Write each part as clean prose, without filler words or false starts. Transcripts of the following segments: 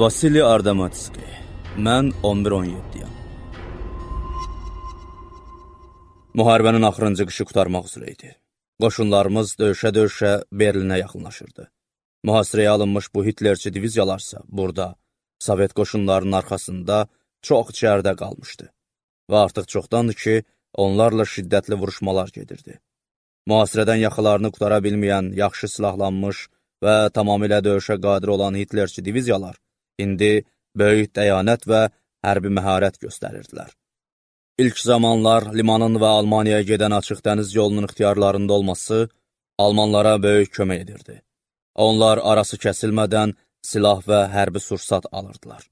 Vasili Ardamatski. Mən 11-17-yəm. Müharibənin axırıncı qışı qurtarmaq üzrə idi. Qoşunlarımız döyüşə-döyüşə Berlinə yaxınlaşırdı. Mühasirəyə alınmış bu Hitlerçi diviziyalarsa burada, Sovet qoşunlarının arxasında çox içəridə qalmışdı. Və artıq çoxdandır ki, onlarla şiddətli vuruşmalar gedirdi. Mühasirədən yaxalarını qutara bilməyən, yaxşı silahlanmış və tamamilə döyüşə qadir olan Hitlerçi diviziyalar indi böyük dəyanət və hərbi məharət göstərirdilər. İlk zamanlar limanın və Almaniyaya gedən açıq dəniz yolunun ixtiyarlarında olması Almanlara böyük kömək edirdi. Onlar arası kəsilmədən silah və hərbi sursat alırdılar.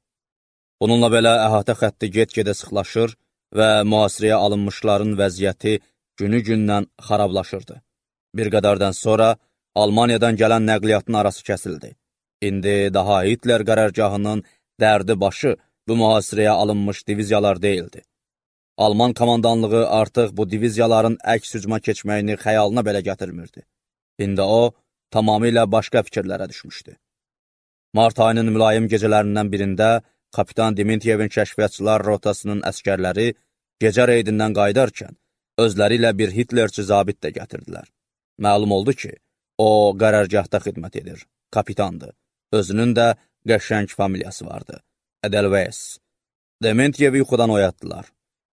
Bununla belə əhatə xətti get-gedə sıxlaşır və mühasirəyə alınmışların vəziyyəti günü-gündən xarablaşırdı. Bir qədərdən sonra Almaniyadan gələn nəqliyyatın arası kəsildi. İndi daha Hitler qərargahının dərdi başı bu mühasirəyə alınmış diviziyalar deyildi. Alman komandanlığı artıq bu diviziyaların əks hücuma keçməyini xəyalına belə gətirmirdi. İndi o, tamamilə başqa fikirlərə düşmüşdü. Mart ayının mülayim gecələrindən birində kapitan Dimitriyevin kəşfiyyatçılar rotasının əskərləri gecə reydindən qaydarkən özləri ilə bir Hitlerçi zabit də gətirdilər. Məlum oldu ki, o qərargahda xidmət edir, kapitandır. Özünün də qəşəng familiyası vardı, Edelweiss. Dimitriyevi yuxudan oyatdılar.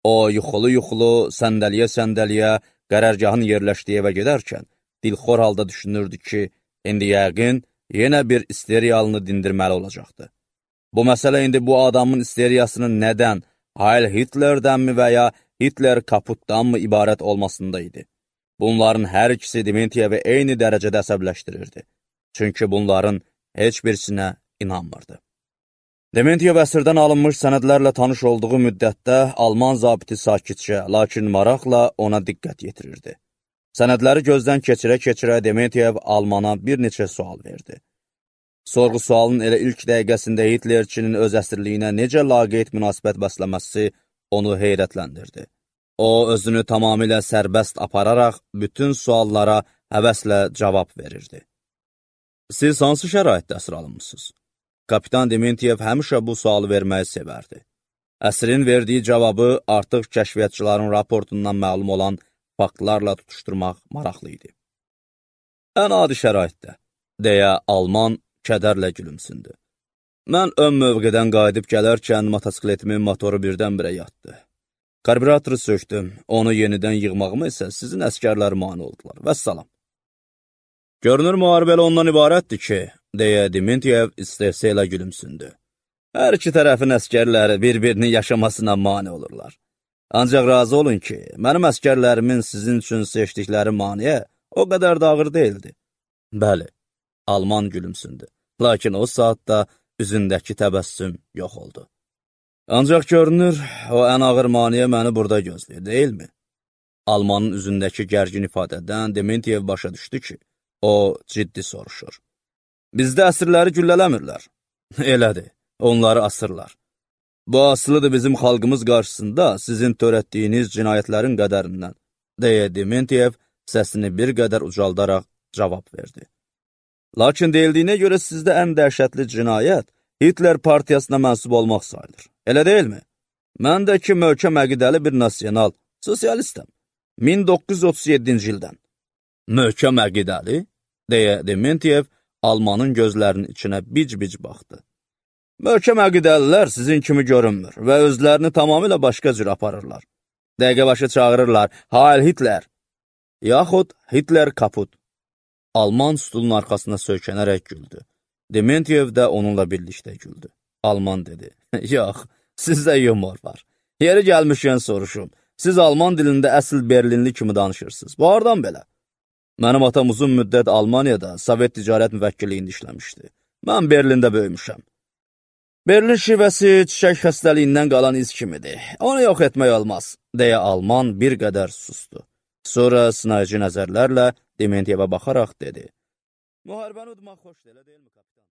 O, yuxulu-yuxulu, səndəliyə-səndəliyə qərargahın yerləşdiyi evə gedərkən, dilxor halda düşünürdü ki, indi yəqin yenə bir isteriyalını dindirməli olacaqdı. Bu məsələ indi bu adamın isteriyasının nədən, Heil Hitler'dənmi və ya Hitler kaputdanmı ibarət olmasında idi. Bunların hər ikisi Dimitriyevi eyni dərəcədə əsəbləşdirirdi. Çünki bunların heç birisinə inanmırdı. Dimitriyev əsirdən alınmış sənədlərlə tanış olduğu müddətdə Alman zabiti sakitcə, lakin maraqla ona diqqət yetirirdi. Sənədləri gözdən keçirə-keçirə Dimitriyev Almana bir neçə sual verdi. Sorğu-sualın elə ilk dəqiqəsində Hitlerçinin öz əsirliyinə necə laqeyd münasibət bəsləməsi onu heyrətləndirdi. O, özünü tamamilə sərbəst apararaq bütün suallara həvəslə cavab verirdi. Siz hansı şəraitdə əsir alınmışsınız? Kapitan Dimitriyev həmişə bu sualı verməyi sevərdi. Əsrin verdiyi cavabı artıq kəşfiyyatçıların raportundan məlum olan faktlarla tutuşturmaq maraqlı idi. Ən adi şəraitdə, deyə Alman kədərlə gülümsündü. Mən ön mövqedən qayıdıb gələrkən motosikletmin motoru birdən-birə yatdı. Karburatoru söktüm, onu yenidən yığmağıma isə sizin əskərlər mane oldular. Vəssalam. Görünür müharibəli ondan ibarətdir ki, deyə Dimitriyev istehsə ilə gülümsündü. Hər iki tərəfin əskərləri bir-birini yaşamasına mane olurlar. Ancaq razı olun ki, mənim əskərlərimin sizin üçün seçdikləri maniyə o qədər də ağır deyildi. Bəli, Alman gülümsündü. Lakin o saatda üzündəki təbəssüm yox oldu. Ancaq görünür, o ən ağır maniyə məni burada gözləyir, deyilmi? Almanın üzündəki gərgin ifadədən Dimitriyev başa düşdü ki, o ciddi soruşur. Bizdə əsirləri güllələmirlər. Elədir, onları asırlar. Bu asılıdır bizim xalqımız qarşısında sizin törətdiyiniz cinayətlərin qədərindən, deyə Dimitriyev səsini bir qədər ucaldaraq cavab verdi. Lakin deyildiyinə görə sizdə ən dəhşətli cinayət Hitler partiyasına mənsub olmaq sayılır. Elə deyilmi? Mən də ki, möhkəm əqidəli bir nasional, sosialistəm. 1937-ci ildən. Möhkəm əqidəli? Deyə Dimitriyev Almanın gözlərinin içinə bic-bic baxdı. Möhkəm əqidəlilər sizin kimi görünmür və özlərini tamamilə başqa cür aparırlar. Dəqiqə başı çağırırlar, Heil Hitler, yaxud Hitler kaput. Alman stulun arxasına söykənərək güldü. Dimitriyev də onunla birlikdə güldü. Alman dedi, yox, sizdə yumor var. Yeri gəlmişkən soruşum, siz Alman dilində əsl Berlinli kimi danışırsınız. Bu hardan belə? Mənim atam uzun müddət Almaniyada Sovet ticarət müvəkkilliyində işləmişdi. Mən Berlində böyümüşəm. Berlin şivəsi çiçək xəstəliyindən qalan iz kimidir. Onu yox etmək olmaz, deyə Alman bir qədər sustu. Sonra sınayıcı nəzərlərlə Dimitriyevə baxaraq dedi. Müharibəni udmaq xoşdur, elə deyilmi, kapitan?